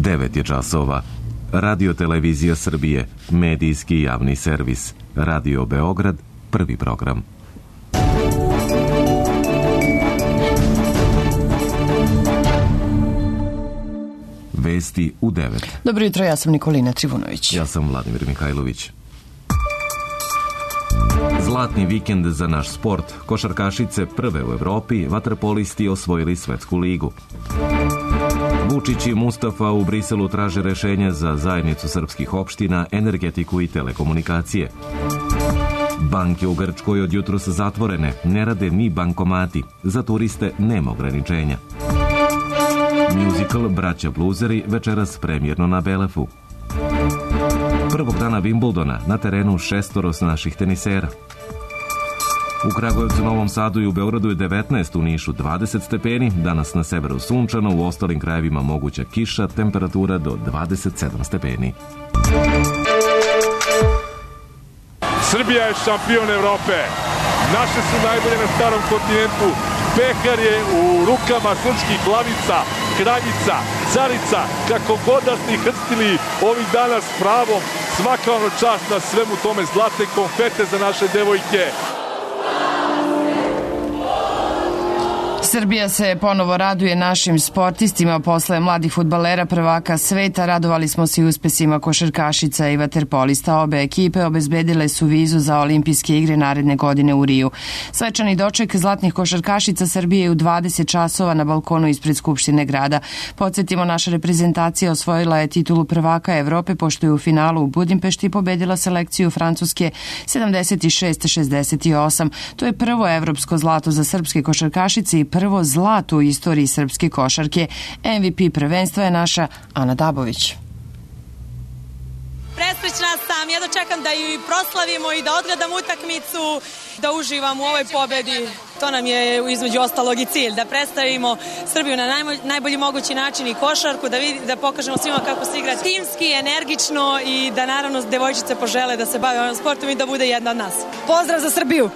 9 je časova. Radio Televizija Srbije, medijski javni servis. Radio Beograd, prvi program. Vesti u 9. Dobro jutro, ja sam Nikolina Trivunović. Ja sam Vladimir Mihajlović. Zlatni vikend za naš sport. Košarkašice prve u Evropi, vaterpolisti osvojili svetsku ligu. Vučić i Mustafa u Briselu traže rešenje za zajednicu srpskih opština, energetiku i telekomunikacije. Banke u Grčkoj od jutros zatvorene, ne rade ni bankomati. Za turiste nema ograničenja. Musical Braća Bluzeri večeras premijerno na Belefu. Prvog dana Wimbledona na terenu 6 naših tenisera. U Kragujevcu, Novom Sadu i u Beogradu je 19, u Nišu 20 stepeni, danas na severu sunčano, u ostalim krajevima moguća kiša, temperatura do 27 stepeni. Srbija je šampion Evrope. Naše su najbolje na starom kontinentu. Pehar je u rukama srpskih glavica, kraljica, carica, kako god da ste ih hrstili ovih dana s pravom. Svaka ono čast na svemu tome, zlatne konfete za naše devojke. Srbija se ponovo raduje našim sportistima posle mladih fudbalera prvaka sveta. Radovali smo se i uspesima košarkašica i vaterpolista. Obe ekipe obezbedile su vizu za olimpijske igre naredne godine u Riju. Svečani doček zlatnih košarkašica Srbije u 20 časova na balkonu ispred Skupštine grada. Podsjetimo, naša reprezentacija osvojila je titulu prvaka Evrope pošto je u finalu u Budimpešti pobedila selekciju Francuske 76-68. To je prvo evropsko zlato za srpske košarkašice i prvo zlato u istoriji srpske košarke. MVP prvenstva je naša Ana Dabović. Presrećna sam, jedno čekam da ju proslavimo i da odgledam utakmicu, da uživam u ovoj pobedi. To nam je između ostalog i cilj, da predstavimo Srbiju na najbolji mogući način i košarku, da pokažemo svima kako se igra timski, energično i da naravno devojčice požele da se bave ovim sportom i da bude jedna od nas. Pozdrav za Srbiju!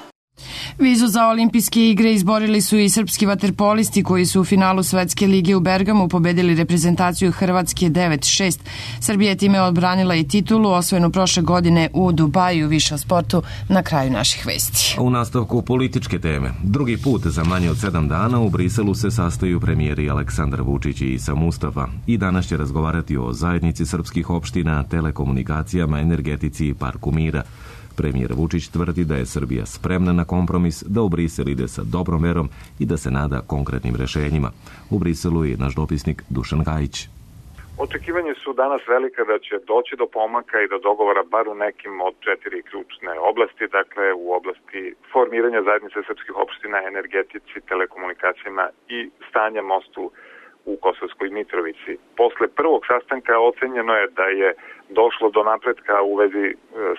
Vizu za olimpijske igre izborili su i srpski vaterpolisti koji su u finalu Svetske lige u Bergamu pobedili reprezentaciju Hrvatske 9-6. Srbija je time odbranila i titulu osvojenu prošle godine u Dubaju. Više o sportu na kraju naših vesti. U nastavku političke teme. Drugi put za manje od 7 dana u Briselu se sastaju premijeri Aleksandar Vučić i Isa Mustafa i danas će razgovarati o zajednici srpskih opština, telekomunikacijama, energetici i parku mira. Premijer Vučić tvrdi da je Srbija spremna na kompromis, da u Brisel ide sa dobrom verom i da se nada konkretnim rešenjima. U Briselu je naš dopisnik Dušan Gajić. Očekivanje su danas velika da će doći do pomaka i do dogovora bar u nekim od 4 ključne oblasti, dakle u oblasti formiranja zajednice srpskih opština, energetici, telekomunikacijama i stanja mostu u Kosovskoj Mitrovici. Posle prvog sastanka ocenjeno je da je došlo do napretka u vezi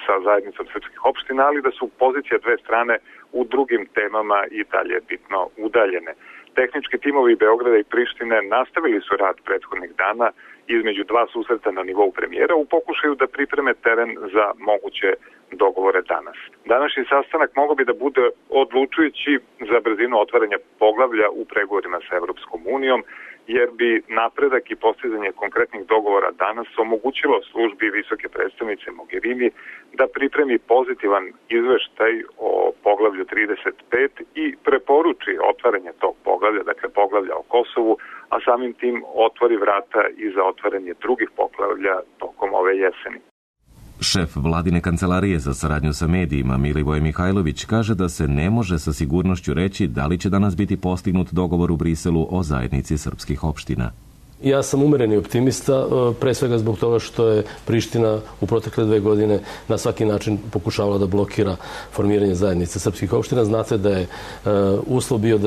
sa zajednicom srpskih opština, ali da su pozicije dve strane u drugim temama i dalje bitno udaljene. Tehnički timovi Beograda i Prištine nastavili su rad prethodnih dana između dva susreta na nivou premijera u pokušaju da pripreme teren za moguće dogovore danas. Današnji sastanak mogao bi da bude odlučujući za brzinu otvaranja poglavlja u pregovorima sa Evropskom unijom, jer bi napredak i postizanje konkretnih dogovora danas omogućilo službi visoke predstavnice Mogherini da pripremi pozitivan izveštaj o poglavlju 35 i preporuči otvaranje tog poglavlja, dakle poglavlja o Kosovu, a samim tim otvori vrata i za otvaranje drugih poglavlja tokom ove jeseni. Šef vladine kancelarije za saradnju sa medijima Milivoj Mihajlović kaže da se ne može sa sigurnošću reći da li će danas biti postignut dogovor u Briselu o zajednici srpskih opština. Ja sam umereni optimista, pre svega zbog toga što je Priština u protekle 2 godine na svaki način pokušavala da blokira formiranje zajednice srpskih opština. Znate da je uslov bio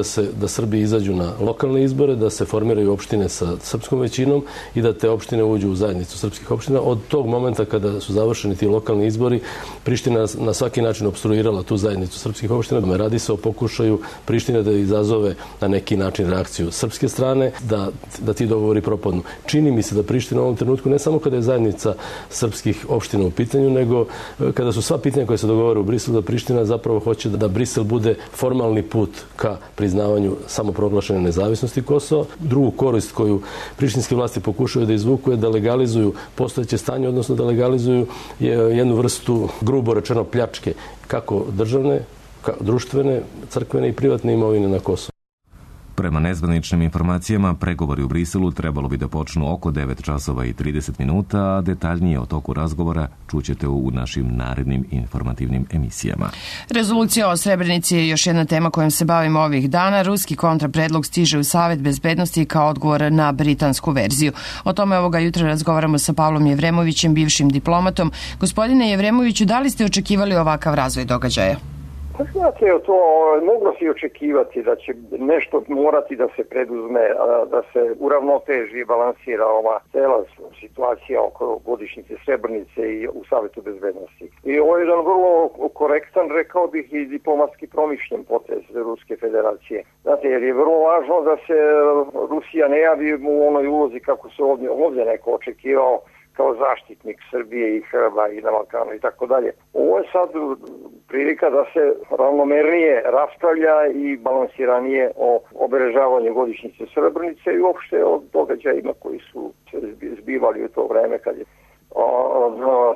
da Srbi izađu na lokalne izbore, da se formiraju opštine sa srpskom većinom i da te opštine uđu u zajednicu srpskih opština. Od tog momenta kada su završeni ti lokalni izbori, Priština na svaki način opstruirala tu zajednicu srpskih opština. Radi se o pokušaju Prištine da izazove na neki način reakciju srpske strane, da ti dogovori ili propadnu. Čini mi se da Priština u ovom trenutku, ne samo kada je zajednica srpskih opština u pitanju, nego kada su sva pitanja koje se dogovore u Briselu, da Priština zapravo hoće da Brisel bude formalni put ka priznavanju samoproglašene nezavisnosti Kosova. Drugu korist koju prištinske vlasti pokušaju da izvuku je da legalizuju postojeće stanje, odnosno da legalizuju jednu vrstu, grubo rečeno, pljačke, kako državne, društvene, crkvene i privatne imovine na Kosovu. Prema nezvaničnim informacijama, pregovori u Briselu trebalo bi da počnu oko 9 časova i 30 minuta, a detaljnije o toku razgovora čućete u našim narednim informativnim emisijama. Rezolucija o Srebrenici je još jedna tema kojom se bavimo ovih dana. Ruski kontrapredlog stiže u Savet bezbednosti kao odgovor na britansku verziju. O tome ovoga jutra razgovaramo sa Pavlom Jevremovićem, bivšim diplomatom. Gospodine Jevremoviću, da li ste očekivali ovakav razvoj događaja? Znate, to moglo se očekivati da će nešto morati da se preduzme, da se uravnoteži i balansira ova cela situacija oko godišnjice Srebrenice i u Savetu bezbednosti. I ovo je jedan vrlo korektan, rekao bih, i diplomatski promišljen potez Ruske federacije. Znate, jer je vrlo važno da se Rusija ne javi u onoj ulozi kako se ovdje neko očekivao, kao zaštitnik Srbije i Srba i na Balkanu i tako dalje. Ovo je sad prilika da se ravnomernije raspravlja i balansiranije o obeležavanju godišnjice Srebrenice i uopšte o događajima koji su se zbivali u to vreme kad je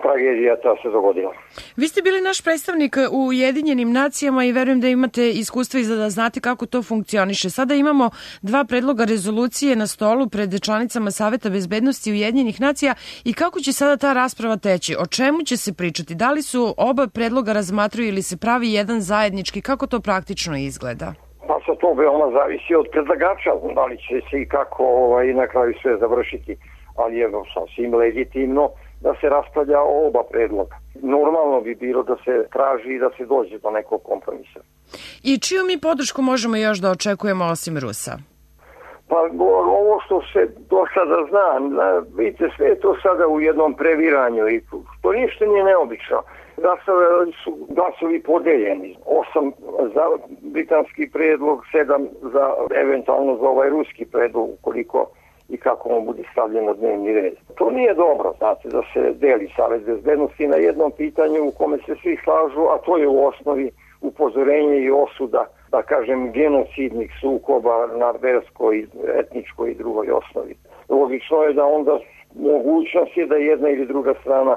tragedija ta se dogodila. Vi ste bili naš predstavnik u Ujedinjenim nacijama i verujem da imate iskustva i da znate kako to funkcioniše. Sada imamo 2 predloga rezolucije na stolu pred članicama Saveta bezbednosti Ujedinjenih nacija i kako će sada ta rasprava teći? O čemu će se pričati? Da li su oba predloga razmatraju ili se pravi jedan zajednički? Kako to praktično izgleda? Pa sa to veoma zavisi od predlagača, da li će se i kako na kraju sve završiti, ali je sasvim legitimno da se raspravlja o oba predloga. Normalno bi bilo da se traži i da se dođe do nekog kompromisa. I čiju mi podršku možemo još da očekujemo osim Rusa? Pa ovo što se do sada zna, vidite, sve je to sada u jednom previranju i to ništa nije neobično. Su glasovi podeljeni. 8 za britanski predlog, 7 za eventualno za ovaj ruski predlog, ukoliko i kako on bude stavljen na dnevni red. To nije dobro, znate, da se deli Savet bezbednosti na jednom pitanju u kome se svi slažu, a to je u osnovi upozorenje i osuda, da kažem, genocidnih sukoba na verskoj, etničkoj i drugoj osnovi. Logično je da onda mogućnost je da jedna ili druga strana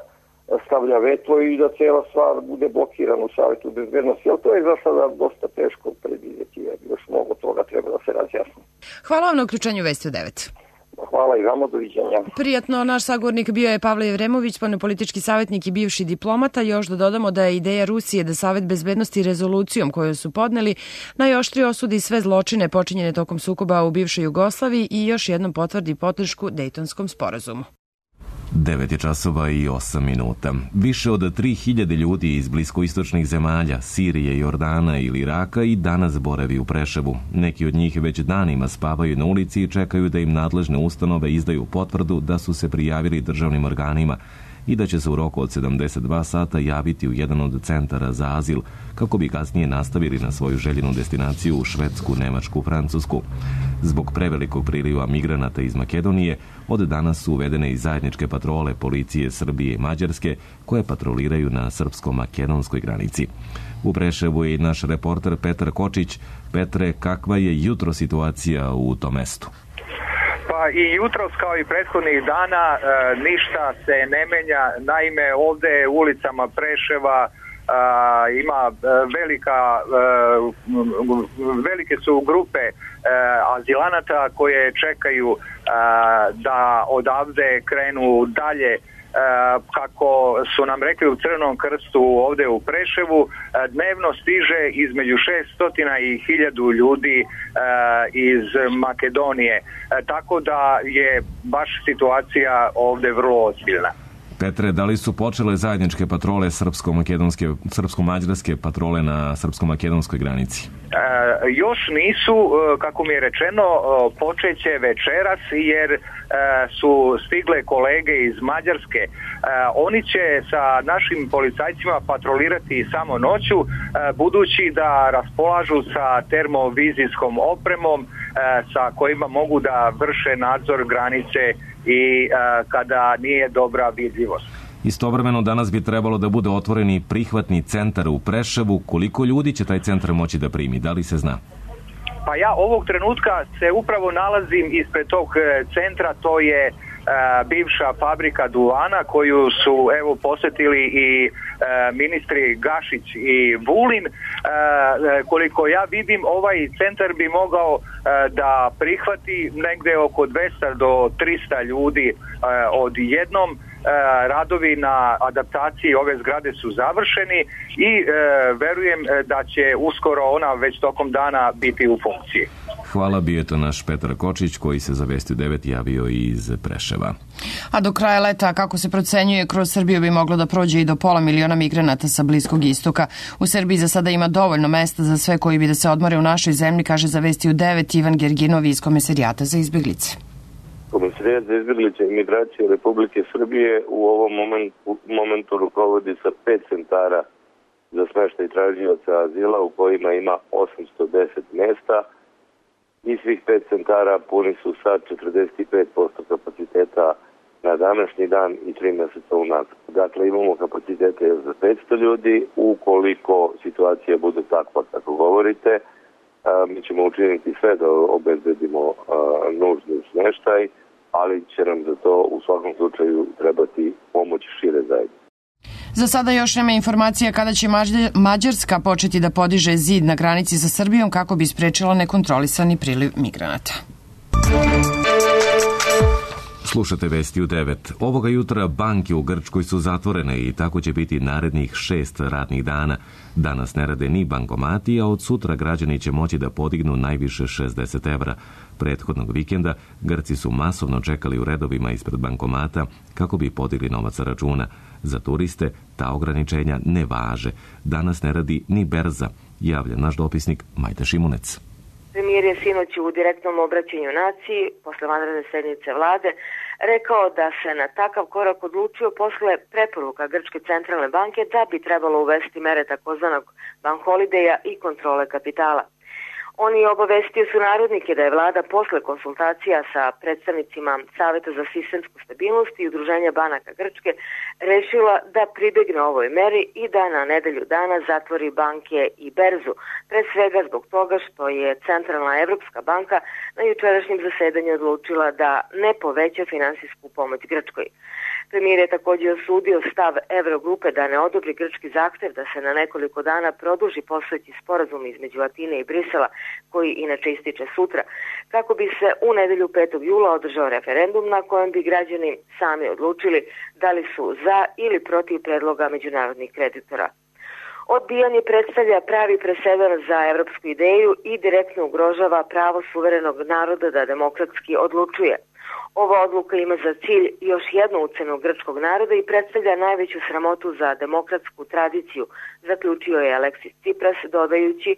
stavlja veto i da cijela stvar bude blokirana u Savetu bezbednosti, ali to je za sada dosta teško predvidjeti, jer još mnogo toga treba da se razjasni. Hvala vam na uključenju Vesti u 9. Hvala i vama, doviđenja. Prijatno, naš sagovornik bio je Pavle Jevremović, spoljnopolitički savjetnik i bivši diplomata. Još da dodamo da je ideja Rusije da Savet bezbednosti rezolucijom koju su podneli najoštrije osudi sve zločine počinjene tokom sukoba u bivšoj Jugoslaviji i još jednom potvrdi podršku Dejtonskom sporazumu. 9 časova i 8 minuta. Više od 3000 ljudi iz bliskoistočnih zemalja, Sirije, Jordana ili Iraka i danas boravi u Preševu. Neki od njih već danima spavaju na ulici i čekaju da im nadležne ustanove izdaju potvrdu da su se prijavili državnim organima i da će se u roku od 72 sata javiti u jedan od centara za azil, kako bi kasnije nastavili na svoju željenu destinaciju u Švedsku, Nemačku, Francusku. Zbog prevelikog priliva migranata iz Makedonije, od danas su uvedene i zajedničke patrole policije Srbije i Mađarske, koje patroliraju na srpsko-makedonskoj granici. U Preševu je i naš reporter Petar Kočić. Petre, kakva je jutro situacija u tom mestu? Pa i jutros kao i prethodnih dana ništa se ne menja. Naime, ovde ulicama Preševa ima velike su grupe azilanata koje čekaju da odavde krenu dalje. Kako su nam rekli u Crvenom krstu ovde u Preševu, dnevno stiže između 600 i 1000 ljudi iz Makedonije, tako da je baš situacija ovde vrlo ozbiljna. Petre, da li su počele zajedničke patrole srpsko-mađarske patrole na srpsko-makedonskoj granici? Još nisu, kako mi je rečeno, počeće večeras jer su stigle kolege iz Mađarske. Oni će sa našim policajcima patrolirati samo noću, budući da raspolažu sa termovizijskom opremom sa kojima mogu da vrše nadzor granice i kada nije dobra vidljivost. Istovremeno danas bi trebalo da bude otvoreni prihvatni centar u Preševu. Koliko ljudi će taj centar moći da primi? Da li se zna? Pa ja ovog trenutka se upravo nalazim ispred tog centra, to je bivša fabrika duvana koju su posetili i ministri Gašić i Vulin. Koliko ja vidim, ovaj centar bi mogao da prihvati negde oko 200 do 300 ljudi odjednom. Radovi na adaptaciji ove zgrade su završeni i verujem da će uskoro ona već tokom dana biti u funkciji. Hvala, bio je to naš Petar Kočić koji se za Vesti 9 javio iz Preševa. A do kraja leta, kako se procenjuje, kroz Srbiju bi moglo da prođe i do 500 000 migranata sa Bliskog istoka. U Srbiji za sada ima dovoljno mesta za sve koji bi da se odmore u našoj zemlji, kaže za Vesti 9 Ivan Gerginov iz Komesarijata za izbeglice. Komesarijat za izbeglice i migracije Republike Srbije u ovom momentu rukovodi sa 5 centara za smeštaj tražioca azila u kojima ima 810 mesta i svih 5 centara puni su sa 45% kapaciteta na današnji dan i 3 mjeseca unazad. Dakle, imamo kapacitete za 500 ljudi. Ukoliko situacija bude takva kako govorite, mi ćemo učiniti sve da obezbedimo nužni smeštaj, ali će nam za to u svakom slučaju trebati pomoć šire zajednice. Za sada još nema informacija kada će Mađarska početi da podiže zid na granici sa Srbijom kako bi sprečila nekontrolisani priliv migranata. Slušate Vesti u 9. Ovoga jutra banke u Grčkoj su zatvorene i tako će biti narednih 6 radnih dana. Danas ne rade ni bankomati, a od sutra građani će moći da podignu najviše 60 evra. Prethodnog vikenda Grci su masovno čekali u redovima ispred bankomata kako bi podigli novac sa računa. Za turiste ta ograničenja ne važe. Danas ne radi ni berza, javlja naš dopisnik Majda Šimunec. Premijer je sinoć u direktnom obraćanju naciji, posle vanredne sednice vlade, rekao da se na takav korak odlučio posle preporuka Grčke centralne banke da bi trebalo uvesti mere takozvanog bank holideja i kontrole kapitala. On je obavestio sunarodnike da je vlada posle konsultacija sa predstavnicima Saveta za sistemsku stabilnost i Udruženja banaka Grčke rešila da pribegne ovoj meri i da na nedelju dana zatvori banke i berzu, pre svega zbog toga što je Centralna Evropska banka na jučerašnjem zasedanju odlučila da ne poveća finansijsku pomoć Grčkoj. Premijer je također osudio stav Evrogrupe da ne odobri grčki zahtev da se na nekoliko dana produži postojeći sporazum između Atine i Brisela, koji inače ističe sutra, kako bi se u nedelju 5. jula održao referendum na kojem bi građani sami odlučili da li su za ili protiv predloga međunarodnih kreditora. Odbijanje predstavlja pravi presedan za evropsku ideju i direktno ugrožava pravo suverenog naroda da demokratski odlučuje. Ova odluka ima za cilj još jednu ucenu grčkog naroda i predstavlja najveću sramotu za demokratsku tradiciju, zaključio je Aleksis Tsipras, dodajući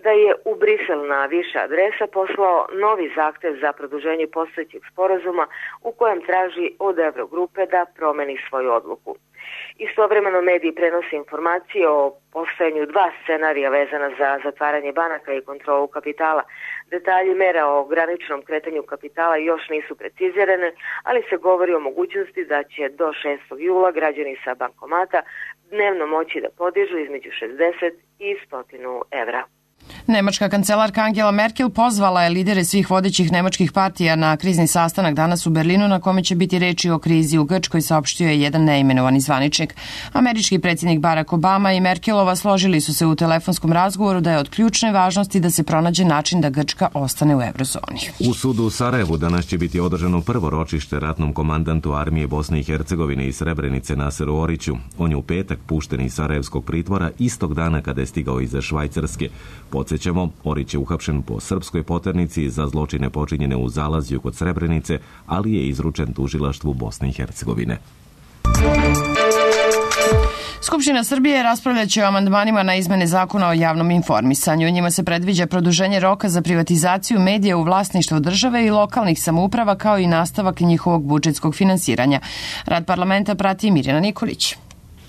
da je u Brisel na više adresa poslao novi zahtev za produženje postojećeg sporazuma u kojem traži od Evrogrupe da promeni svoju odluku. Istovremeno mediji prenose informacije o postojanju 2 scenarija vezana za zatvaranje banaka i kontrolu kapitala. Detalji mera o ograničenom kretanju kapitala još nisu precizirane, ali se govori o mogućnosti da će do 6. jula građani sa bankomata dnevno moći da podižu između 60 i 100 evra. Nemačka kancelarka Angela Merkel pozvala je lidere svih vodećih nemačkih partija na krizni sastanak danas u Berlinu na kome će biti reči o krizi u Grčkoj, saopštio je jedan neimenovani zvaničnik. Američki predsjednik Barack Obama i Merkelova složili su se u telefonskom razgovoru da je od ključne važnosti da se pronađe način da Grčka ostane u eurozoni. U sudu u Sarajevu danas će biti održano prvo ročište ratnom komandantu armije Bosne i Hercegovine iz Srebrenice Naseru Oriću. On je u petak pušten iz sarajevskog pritvora istog dana kada je stigao iz Švajcarske. Podsjećamo, Orić je uhapšen po srpskoj poternici za zločine počinjene u Zalazju kod Srebrenice, ali je izručen tužilaštvu Bosne i Hercegovine. Skupština Srbije raspravljaće o amandmanima na izmene zakona o javnom informisanju. U njima se predviđa produženje roka za privatizaciju medija u vlasništvu države i lokalnih samouprava, kao i nastavak njihovog budžetskog finansiranja. Rad parlamenta prati Mirjana Nikolić.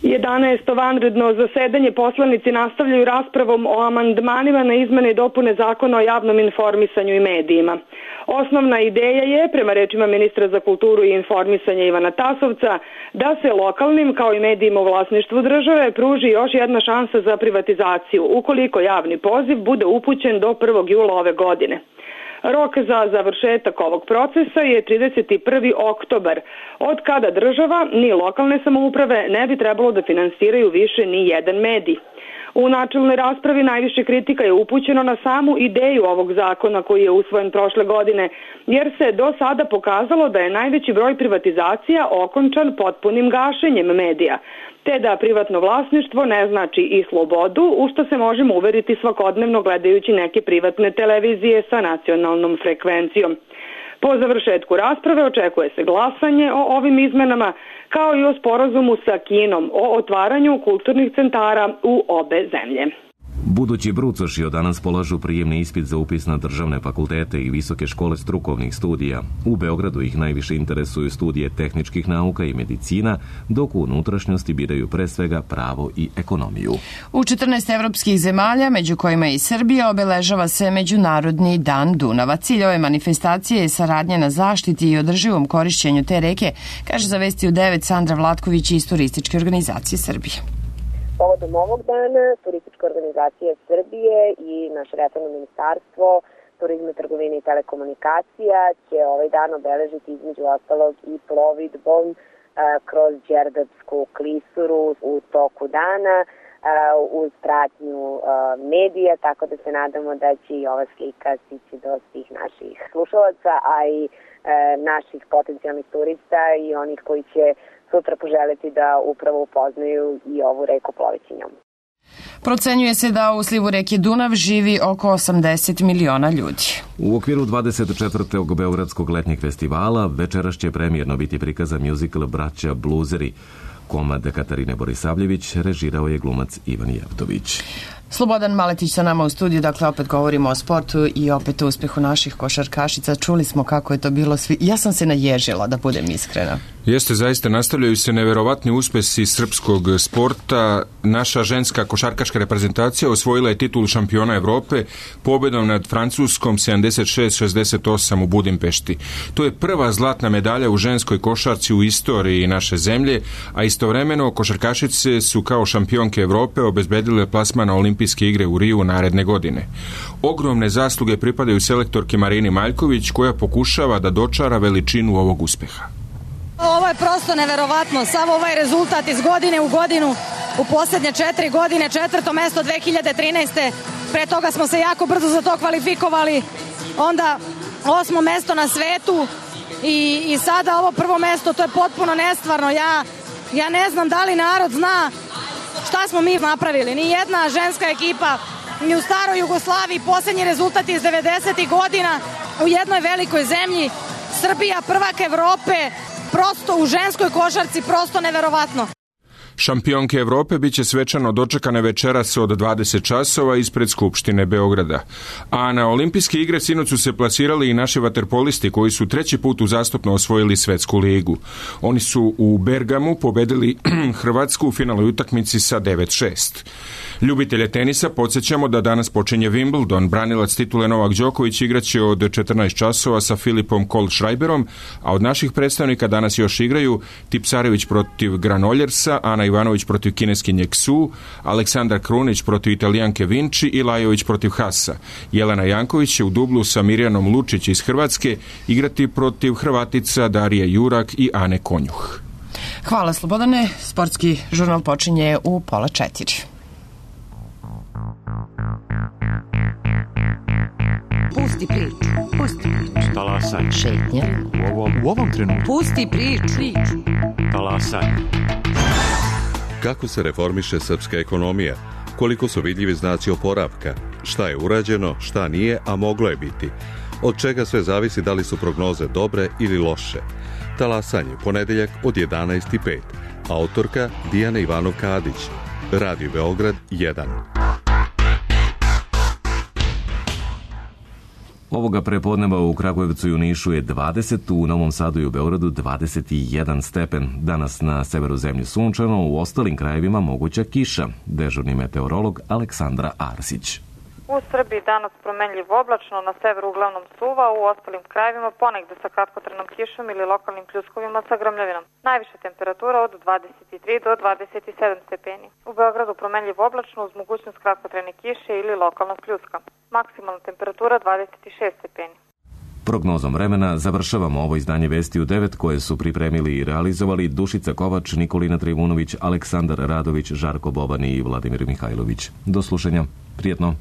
11. vanredno zasedanje poslanici nastavljaju raspravom o amandmanima na izmene i dopune Zakona o javnom informisanju i medijima. Osnovna ideja je, prema rečima ministra za kulturu i informisanje Ivana Tasovca, da se lokalnim kao i medijima u vlasništvu države pruži još jedna šansa za privatizaciju, ukoliko javni poziv bude upućen do 1. jula ove godine. Rok za završetak ovog procesa je 31. oktobar, od kada država ni lokalne samouprave ne bi trebalo da finansiraju više ni jedan medij. U načelnoj raspravi najviše kritika je upućeno na samu ideju ovog zakona koji je usvojen prošle godine, jer se do sada pokazalo da je najveći broj privatizacija okončan potpunim gašenjem medija, te da privatno vlasništvo ne znači i slobodu, u što se možemo uveriti svakodnevno gledajući neke privatne televizije sa nacionalnom frekvencijom. Po završetku rasprave očekuje se glasanje o ovim izmenama, kao i o sporazumu sa Kinom o otvaranju kulturnih centara u obe zemlje. Budući brucoši od danas polažu prijemni ispit za upis na državne fakultete i visoke škole strukovnih studija. U Beogradu ih najviše interesuju studije tehničkih nauka i medicina, dok u unutrašnjosti biraju pre svega pravo i ekonomiju. U 14 evropskih zemalja, među kojima i Srbija, obeležava se Međunarodni dan Dunava. Cilj ove manifestacije je saradnja na zaštiti i održivom korišćenju te reke, kaže za Vesti u 9 Sandra Vlatković iz Turističke organizacije Srbije. Povodom ovog dana Turistička organizacija Srbije i naše resorno ministarstvo turizma, trgovine i telekomunikacija će ovaj dan obeležiti između ostalog i plovidbom kroz Đerdapsku klisuru u toku dana uz pratnju medija, tako da se nadamo da će i ova slika stići do svih naših slušalaca, a i naših potencijalnih turista i onih koji će sutra poželiti da upravo upoznaju i ovu reku ploveći njom. Procenjuje se da u slivu reke Dunav živi oko 80 miliona ljudi. U okviru 24. Beogradskog letnjeg festivala večeras će premijerno biti prikazan muzikl Braća Bluzeri. Komad Katarine Borisavljević režirao je glumac Ivan Jevtović. Slobodan Maletić sa nama u studiju, dakle opet govorimo o sportu i opet o uspehu naših košarkašica. Čuli smo kako je to bilo svi. Ja sam se naježila, da budem iskrena. Jeste, zaista nastavljaju se neverovatni uspesi srpskog sporta. Naša ženska košarkaška reprezentacija osvojila je titulu šampiona Evrope pobedom nad Francuskom 76-68 u Budimpešti. To je prva zlatna medalja u ženskoj košarci u istoriji naše zemlje, a istovremeno košarkašice su kao šampionke Evrope obezbedile plasman na Olimpijske igre u Riju naredne godine. Ogromne zasluge pripadaju selektorki Marini Maljković, koja pokušava da dočara veličinu ovog uspeha. Ovo je prosto neverovatno, sav ovaj rezultat iz godine u godinu, u posljednje 4 godine, 4. mesto 2013. Pre toga smo se jako brzo za to kvalifikovali, onda 8. mesto na svetu i sada ovo 1. mesto, to je potpuno nestvarno. Ja ne znam da li narod zna šta smo mi napravili. Ni jedna ženska ekipa, ni u staroj Jugoslaviji, posljednji rezultat iz 90. godina u jednoj velikoj zemlji, Srbija, prvak Evrope, prosto u ženskoj košarci, prosto neverovatno. Šampionke Evrope biće svečano dočekane večeras od 20 časova ispred Skupštine Beograda. A na Olimpijske igre sinoć su se plasirali i naši vaterpolisti koji su 3. put uzastopno osvojili svetsku ligu. Oni su u Bergamu pobedili Hrvatsku u finalnoj utakmici sa 9-6. Ljubitelje tenisa podsjećamo da danas počinje Wimbledon. Branilac titule Novak Đoković igraće od 14 časova sa Filipom Kohlschreiberom, a od naših predstavnika danas još igraju Tipsarević protiv Granoljersa, Ana Ivanović protiv kineskinje Xu, Aleksandar Krunić protiv Italijanke Vinci i Lajović protiv Hasa. Jelena Janković će u dublu sa Mirjanom Lučić iz Hrvatske igrati protiv Hrvatica Darije Jurak i Ane Konjuh. Hvala Slobodane. Sportski žurnal počinje u 3:30. Pusti priču. Talasaj. Šetnja. U ovom trenutku. Pusti priču. Talasaj. Kako se reformiše srpska ekonomija? Koliko su vidljivi znaci oporavka? Šta je urađeno, šta nije, a moglo je biti? Od čega sve zavisi da li su prognoze dobre ili loše? Talasanje, ponedeljak od 11:05. Autorka Dijana Ivanov-Kadić. Radio Beograd 1. Ovoga prepodneva u Kragujevcu i u Nišu je 20, u Novom Sadu i u Beogradu 21 stepen. Danas na severu zemlje sunčano, u ostalim krajevima moguća kiša. Dežurni meteorolog Aleksandra Arsić. U Srbiji danas promenljivo oblačno, na severu uglavnom suva, u ostalim krajevima ponegde sa kratkotrajnom kišom ili lokalnim pljuskovima sa grmljavinom. Najviša temperatura od 23 do 27 stepeni. U Beogradu promenljivo oblačno uz mogućnost kratkotrajne kiše ili lokalnog pljuska. Maksimalna temperatura 26 stepeni. Prognozom vremena završavamo ovo izdanje Vesti u 9 koje su pripremili i realizovali Dušica Kovač, Nikolina Trivunović, Aleksandar Radović, Žarko Boban i Vladimir Mihajlović. Do slušanja. Prijetno.